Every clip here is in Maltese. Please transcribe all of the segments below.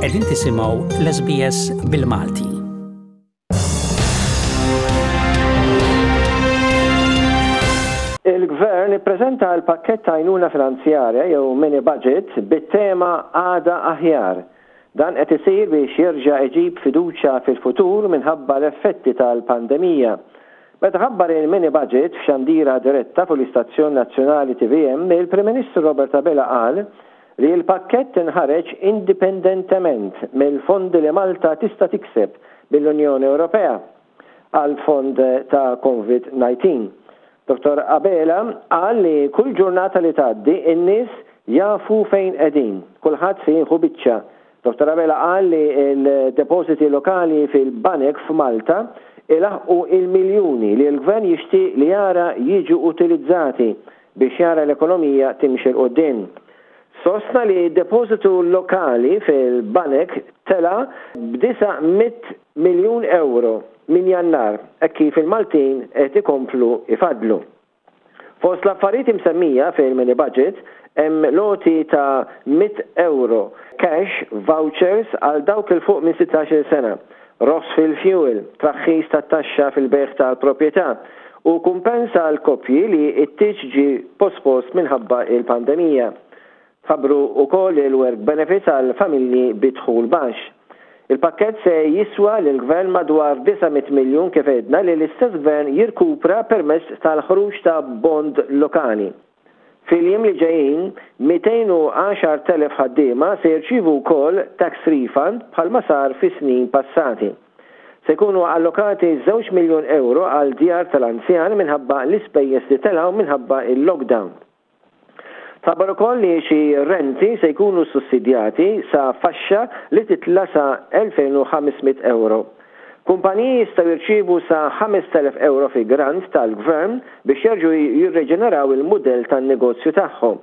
Qegħdin tisimgħu l-SBS bil-Malti. Il-Gvern ippreżenta l-pakkett ta' għajnuna finanzjarja jew mini budget bit-tema Għada Aħjar. Dan qed isir biex jerġa' iġib fiduċja fil-futur minħabba l-effetti tal-pandemija. Meta ħabbar il-mini budget f'xandira diretta fuq l-istazzjon nazzjonali tvm, il-Prim Ministru Robert Abela qal li l-pakkett inħareġ indipendentement mill-fondi li Malta tista' tikseb mill-Unjoni Ewropea għall-fond ta' Covid 19. Dottor Abela qal li kull ġurnata li tgħaddi n-nies jafu fejn qegħdin, kulħadd se jieħu biċċa. Dottor Abela qal li l-depożiti lokali fil-banek f'Malta ilaħħqu il-miljuni li l-Gvern jixtieq li jara jiġu utilizzati biex jara l-ekonomija timxi 'l quddiem. Sostna li d-depożitu lokali fil-banek tela' b'disa' mitt miljun ewro minn Jannar hekk kif il-Maltin qed ikomplu jfaddlu. Fost l-affarijiet imsemmija fil-mini budget hemm l-għoti ta' 100 ewro cash vouchers għal dawk 'il fuq minn 16-il sena, roħs fil-fuel, traħħis tat-taxxa fil-bejgħ tal-proprjetà u kumpens għal koppji li t-tieġ ġie pospost minħabba l-pandemija. Tħabbru wkoll il-work benefits għal familji bi dħul baxx. Il-pakkett se jiswa lill-Gvern madwar 900 miljun kif għedna li l-istess Gvern jirkupra permezz tal-ħruġ ta' bond lokali. Fil-jiem li ġejjin, 210,000 ħaddiema se jirċievu wkoll tax refund bħalma sar fi snin passati. Se jkunu allokati 2 miljun euro għal djar tal-anzjan minħabba l-ispejjeż li telgħu minħabba il-lockdown. Tħabbar ukoll li xi renti se jkunu sussidjati sa faxxa li titla sa 2500 euro. Kumpaniji jistgħu jirċievu sa 5000 euro fi grant tal-gvern biex jerġgħu jirreġeneraw il-mudell tan-negozju tagħhom.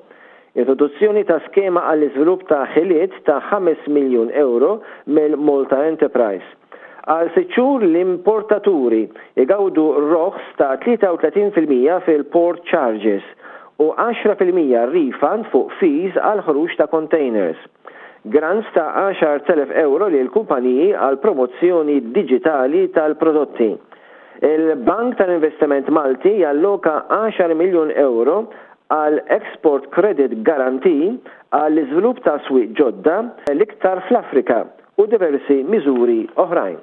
Introduzzjoni ta' skema għall-iżvilupp ta' ħiliet ta' 5 miljun euro mill-Malta Enterprise. Għal 6 xhur l-importaturi igawdu roħs ta' 33% fil-port charges u 10% refund fuq fees għal ħruġ ta' containers. Grants ta' 10,000 euro lil kumpaniji għal promozzjoni digitali tal-prodotti. Il-Bank tal-Investiment Malti jalloka 10 miljun euro għal Export Credit Guarantee għall iżvilupp ta' swieq ġodda l-iktar fl-Afrika u diversi miżuri oħrajn.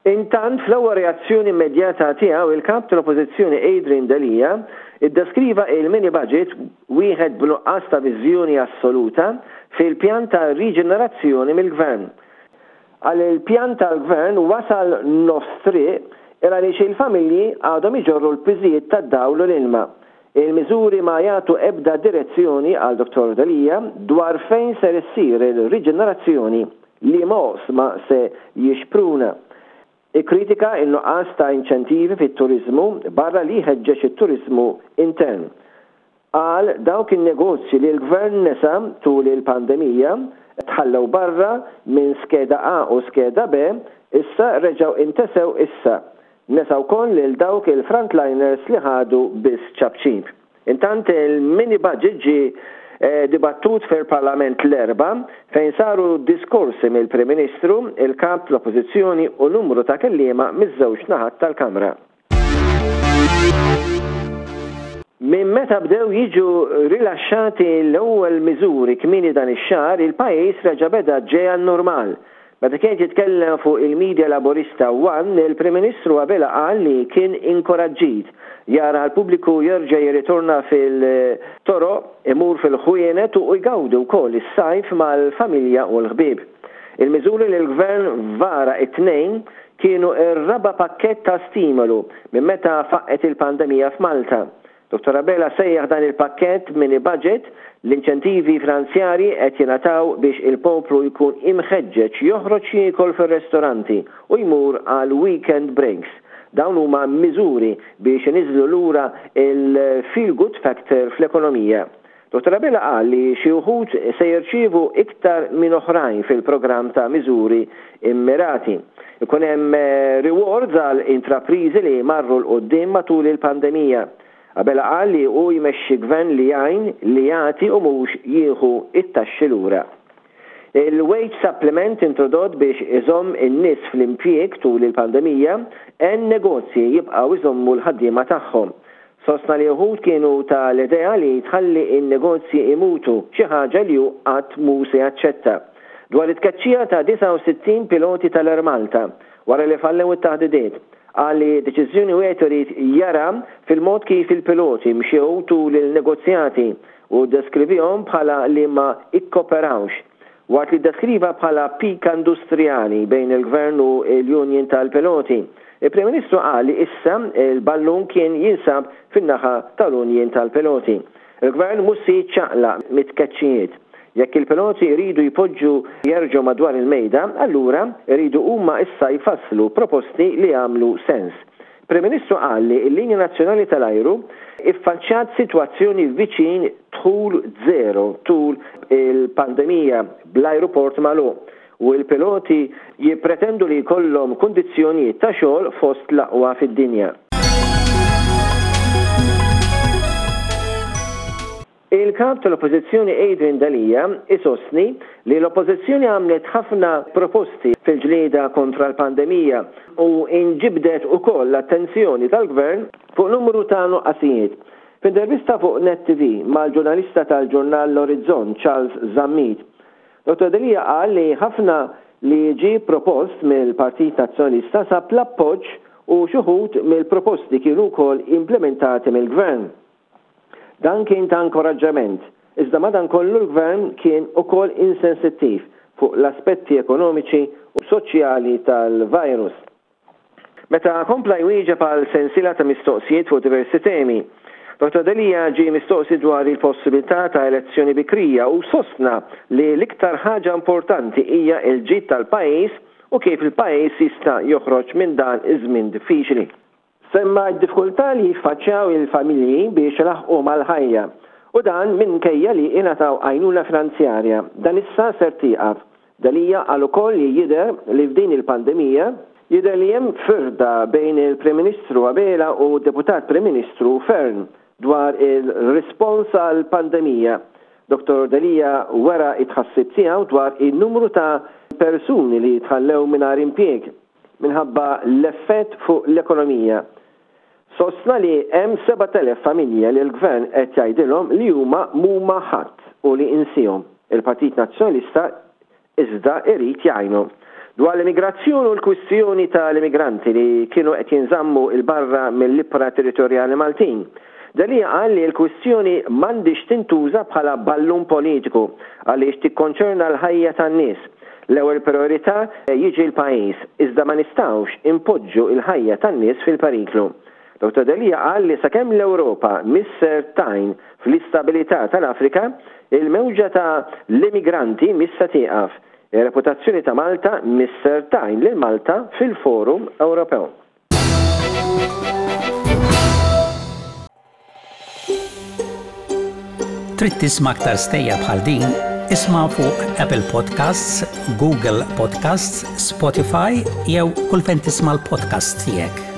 Intant, fl-ewwel reazzjoni immedjata tiegħu il-kap tal-Oppożizzjoni Adrian Delia iddeskriva il-mini budget wieħed b'nuqqas ta' viżjoni assoluta fil-pjan ta' riġenerazzjoni mill-gvern. Qal il-pjan tal-gvern wasal nofs triq il għaliex il-familji għadhom iġorru l-piżijiet tad-dawl u l-ilma. Il-miżuri ma jagħtu ebda direzzjoni qal Dr. Delia dwar fejn ser issir il-riġenerazzjoni li ma se jixpruna. Ikkritika in-nuqqas ta' inċentivi fit-turizmu barra li jħeġġeġ it-turizmu intern. Qal dawk in-negozji li l-gvern nesa tul il-pandemija tħallew barra minn skeda A u skeda B issa reġgħu intesew issa. Nesa wkoll lil dawk il-frontliners li ħadu biss ċapċip. Intant il-mini budget ġie dibattut fil-Parlament l-Erbgħa fejn saru diskorsi mill-Prim Ministru, il-Kap l-Oppożizzjoni u numru ta' kelliema miż-żewġ naħat tal-Kamra. Minn meta bdew jiġu rilaxxati l-ewwel miżuri kmieni dan ix-xahar, il-pajjiż reġa' beda ġej għan-normal. Meta kien jitkellem fuq il-medja laburista One, il-Prim Ministru Abela qal li kien inkoraġġit jara l-pubbliku jerġa' jirritorna fil-toroq, imur fil-ħwienet u jgawdi wkoll is-sajf mal-familja u l-ħbieb. Il-miżuri li l-Gvern vara it-Tnejn kienu r-raba' pakkett ta' stimolu minn meta faqqgħet il-pandemija f'Malta. Dr. Abela sejjaħ dan il-pakkett mini budget l-inċentivi finanzjarji qed jingħataw biex il-poplu jkun imħeġġeġ joħroġ jiekol fir-restoranti u jmur għal weekend breaks. Dawn huma miżuri biex iniżlu lura il-feel good factor fl-ekonomija. Dr. Abela qal li xi wħud se jirċievu iktar minn oħrajn fil-programm ta' miżuri immirati. Ikun hemm rewards għal intrapriżi li marru 'l quddiem matul il-pandemija. Abela qal li hu jmexxi gvern li jgħin, li jagħti u mhux jieħu it-taxxi lura. Il-wage supplement introdott biex iżomm in-nies fl-impjieg tul il-pandemija għen negozji jibqgħu jżommu l-ħaddiema tagħhom. Sostna li uħud kienu ta' l-idea li tħalli n-negozji imutu, xi ħaġa li hu qatt mhu se jaċċetta. Dwar it-tkeċċija ta' 69 piloti tal-Air Malta, wara li fallew it-taħdidiet, qal li deċiżjoni wieħed irid jara fil-mod kif il-piloti mxew tul il-negozjati u ddeskrivihom bħala li ma ikkoperawx. Waqt li ddeskriva bħala pika industrijali bejn il-Gvern u l-union tal-piloti, il-Prim Ministru qal li issa l-ballun kien jinsab fin-naħa tal-union tal-piloti. Il-Gvern mhux se jiċċaqlaq mit-tkeċċijiet. Jekk il-piloti jridu jpoġġu jerġgħu madwar il-mejda, allura jridu huma issa jfasslu proposti li jagħmlu sens. Prim Ministru qal li l-linja nazzjonali tal-ajru iffaċċjat sitwazzjoni viċin dħul zero tul il-pandemija bl-ajruport magħluq u l-piloti jippretendu li jkollhom kundizzjonijiet ta' xogħol fost l-aqwa fid-dinja. Il-Kap tal-Oppożizzjoni Adrian Delia isostni li l-Oppożizzjoni għamlet ħafna proposti fil-ġlieda kontra l-pandemija u inġibdet ukoll l-attenzjoni tal-Gvern fuq numru ta' nuqqasijiet. F'intervista fuq Net TV mal-ġurnalista tal-ġurnal L-Orizzont Charles Zammit, Dottor Delia qal li ħafna li ġie propost mill-Partit Nazzjonalista sab l-appoġġ u x'uħud mill-proposti kienu wkoll implimentati mill-Gvern. Dan kien ta' inkoraġġament, iżda madankollu l-Gvern kien ukoll insensittiv fuq l-aspetti ekonomiċi u soċjali tal-virus. Meta kompla jwieġeb għal sensiela ta' mistoqsijiet fuq diversi temi, Dottor Delia ġie mistoqsi dwar il-possibilità ta' elezzjoni bikrija u sostna li l-iktar ħaġa importanti hija l-ġid tal-pajjiż u kif il-pajjiż jista' joħroġ minn dan iż-żmien diffiċli. Semma d-diffikultà li jiffaċċjaw il-familji biex ilaħħqu mal-ħajja u dan minkejja li ingħataw għajnuna finanzjarja. Dan issa ser tieqaf. Delia qal ukoll li jidher li f'din il-pandemija, jidher li hemm firda bejn il-Prim Ministru Abela u d-Deputat Prim Ministru Fearne dwar il-rispons għall-pandemija. Dottor Delia wera t-tħassib tiegħu dwar in-numru ta' persuni li tħallew mingħajr impjieg. minħabba l-effett fuq l-ekonomija. Sostna li hemm 7,000 familja li l-Gvern qed jgħidilhom li huma m'huma ħadd u li insihom. Il-Partit Nazzjonalista iżda irid jgħinhom. Dwar l-immigrazzjoni u l-kwistjoni tal-immigranti li kienu qed jinżammu 'l barra mill-ibħra territorjali Maltin, Delia qal li l-kwistjoni m'għandhiex tintuża bħala ballun politiku għaliex tikkonċerna l-ħajja tan-nies. L-ewwel prijorità jiġi l-pajjiż, iżda ma nistgħux inpoġġu l-ħajja tan-nies fil-periklu. Dottor Delia qal li sakemm l-Ewropa mhix ser tgħin fl-istabilità tal-Afrika, il-mewġa ta' l-immigranti mhix se tieqaf. Ir-reputazzjoni ta' Malta mhix ser tgħin lil Malta fil-forum Ewropew. Trid tisma' aktar stejjer bħal din? Isma' fuq Apple Podcasts, Google Podcasts, Spotify jew kull fejn tisma' l-podcasts tiegħek.